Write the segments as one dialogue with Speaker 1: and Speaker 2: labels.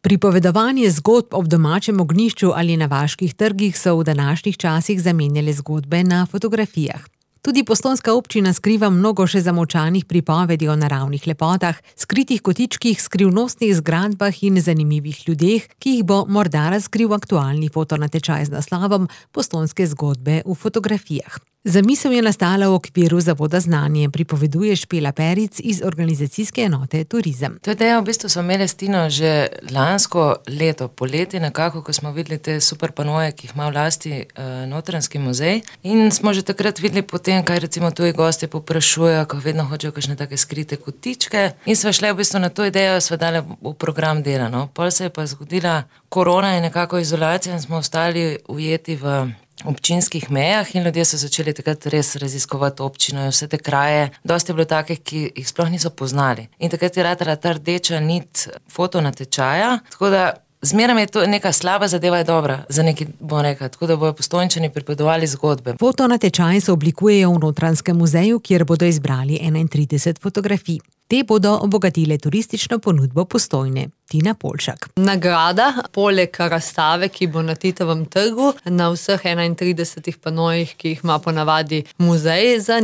Speaker 1: Pripovedovanje zgodb ob domačem ognjišču ali na vaških trgih so v današnjih časih zamenjale zgodbe na fotografijah. Tudi postojnska občina skriva mnogo še zamolčanih pripovedi o naravnih lepotah, skritih kotičkih, skrivnostnih zgradbah in zanimivih ljudeh, ki jih bo morda razkril aktualni fotonatečaj z naslovom Postojnske zgodbe v fotografijah. Zamisel je nastala v okviru Zavoda Znanje, pripoveduje Špela Peric iz organizacijske enote Turizem.
Speaker 2: To idejo v bistvu smo imeli s Tino že lansko leto, poleti nekako, ko smo videli te super panoje, ki jih ima v lasti Notranjski muzej. In smo že takrat videli potem, kaj recimo tuji gostje povprašujejo, ko vedno hočejo kakšne take skrite kotičke. In smo šli v bistvu na to idejo, sva dali v program dela, no. Pol se je pa zgodila korona in nekako izolacija in smo ostali ujeti v občinskih mejah in ljudje so začeli takrat res raziskovati občino in vse te kraje. Dosti je bilo takih, ki jih sploh niso poznali. In takrat je ratala ta rdeča nit fotonatečaja, tako da zmeraj je to neka slaba zadeva je dobra, za neki bom rekla, tako da bojo Postojnčani pripovedovali zgodbe.
Speaker 1: Fotonatečaj se oblikujejo v Notranjskem muzeju, kjer bodo izbrali 31 fotografij. Te bodo obogatile turistično ponudbo Postojne. Tina Polšak.
Speaker 3: Nagrada, poleg razstave, ki bo na Titovem trgu, na vseh 31 panojih, ki jih ima ponavadi muzej za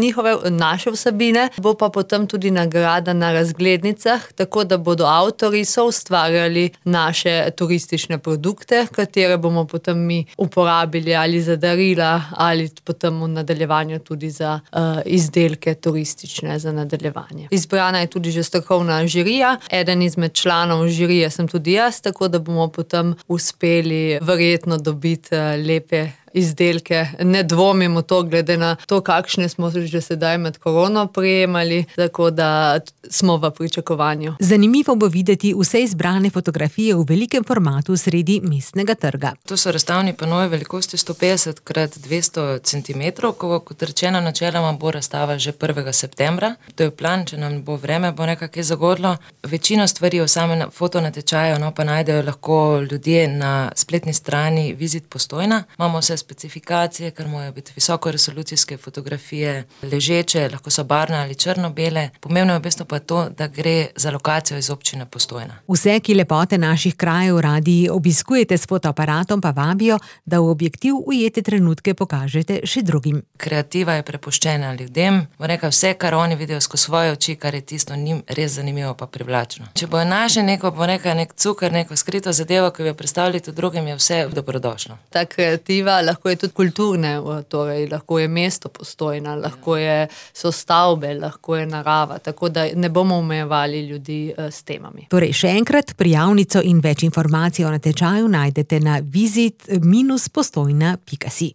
Speaker 3: naše vsebine, bo pa potem tudi nagrada na razglednicah, tako da bodo avtorji soustvarjali naše turistične produkte, katere bomo potem mi uporabili ali za darila, ali potem v nadaljevanju tudi za izdelke turistične za nadaljevanje. Izbrana je tudi že strokovna žirija, eden izmed članov žirije sem tudi jaz, tako da bomo potem uspeli verjetno dobiti lepe izdelke. Ne dvomimo to, glede na to, kakšne smo že sedaj med korono prejemali, tako da smo v pričakovanju.
Speaker 1: Zanimivo bo videti vse izbrane fotografije v velikem formatu sredi mestnega trga.
Speaker 2: To so razstavni panoji velikosti 150 x 200 cm, kot rečeno, načeloma bo razstava že 1. septembra. To je plan, če nam bo vreme, bo nekako zagodlo. Večino stvari o samem fotonatečaju, no, pa najdejo lahko ljudje na spletni strani Vizit Postojna. Imamo vse specifikacije, ker morajo biti visokoresolucijske fotografije, ležeče, lahko so barvne ali črno-bele. Pomembno je v bistvu pa to, da gre za lokacijo iz občine Postojna.
Speaker 1: Vse, ki lepote naših krajev radi obiskujete s fotoaparatom, pa vabijo, da v objektiv ujete trenutke pokažete še drugim.
Speaker 2: Kreativa je prepuščena ljudem. Bo rekla, vse, kar oni vidijo skozi svoje oči, kar je tisto njim res zanimivo pa privlačno. Če bojo našli neko, bo rekla, nek cukor, neko skrito zadevo, ki bi jo predstavili tudi drugim, je vse dobrodošlo.
Speaker 3: Ta kreativa lahko je tudi kulturne, torej lahko je mesto Postojna, lahko so stavbe, lahko je narava, tako da ne bomo omejevali ljudi s temami.
Speaker 1: Torej še enkrat, prijavnico in več informacij o natečaju najdete na vizit-postojna.si.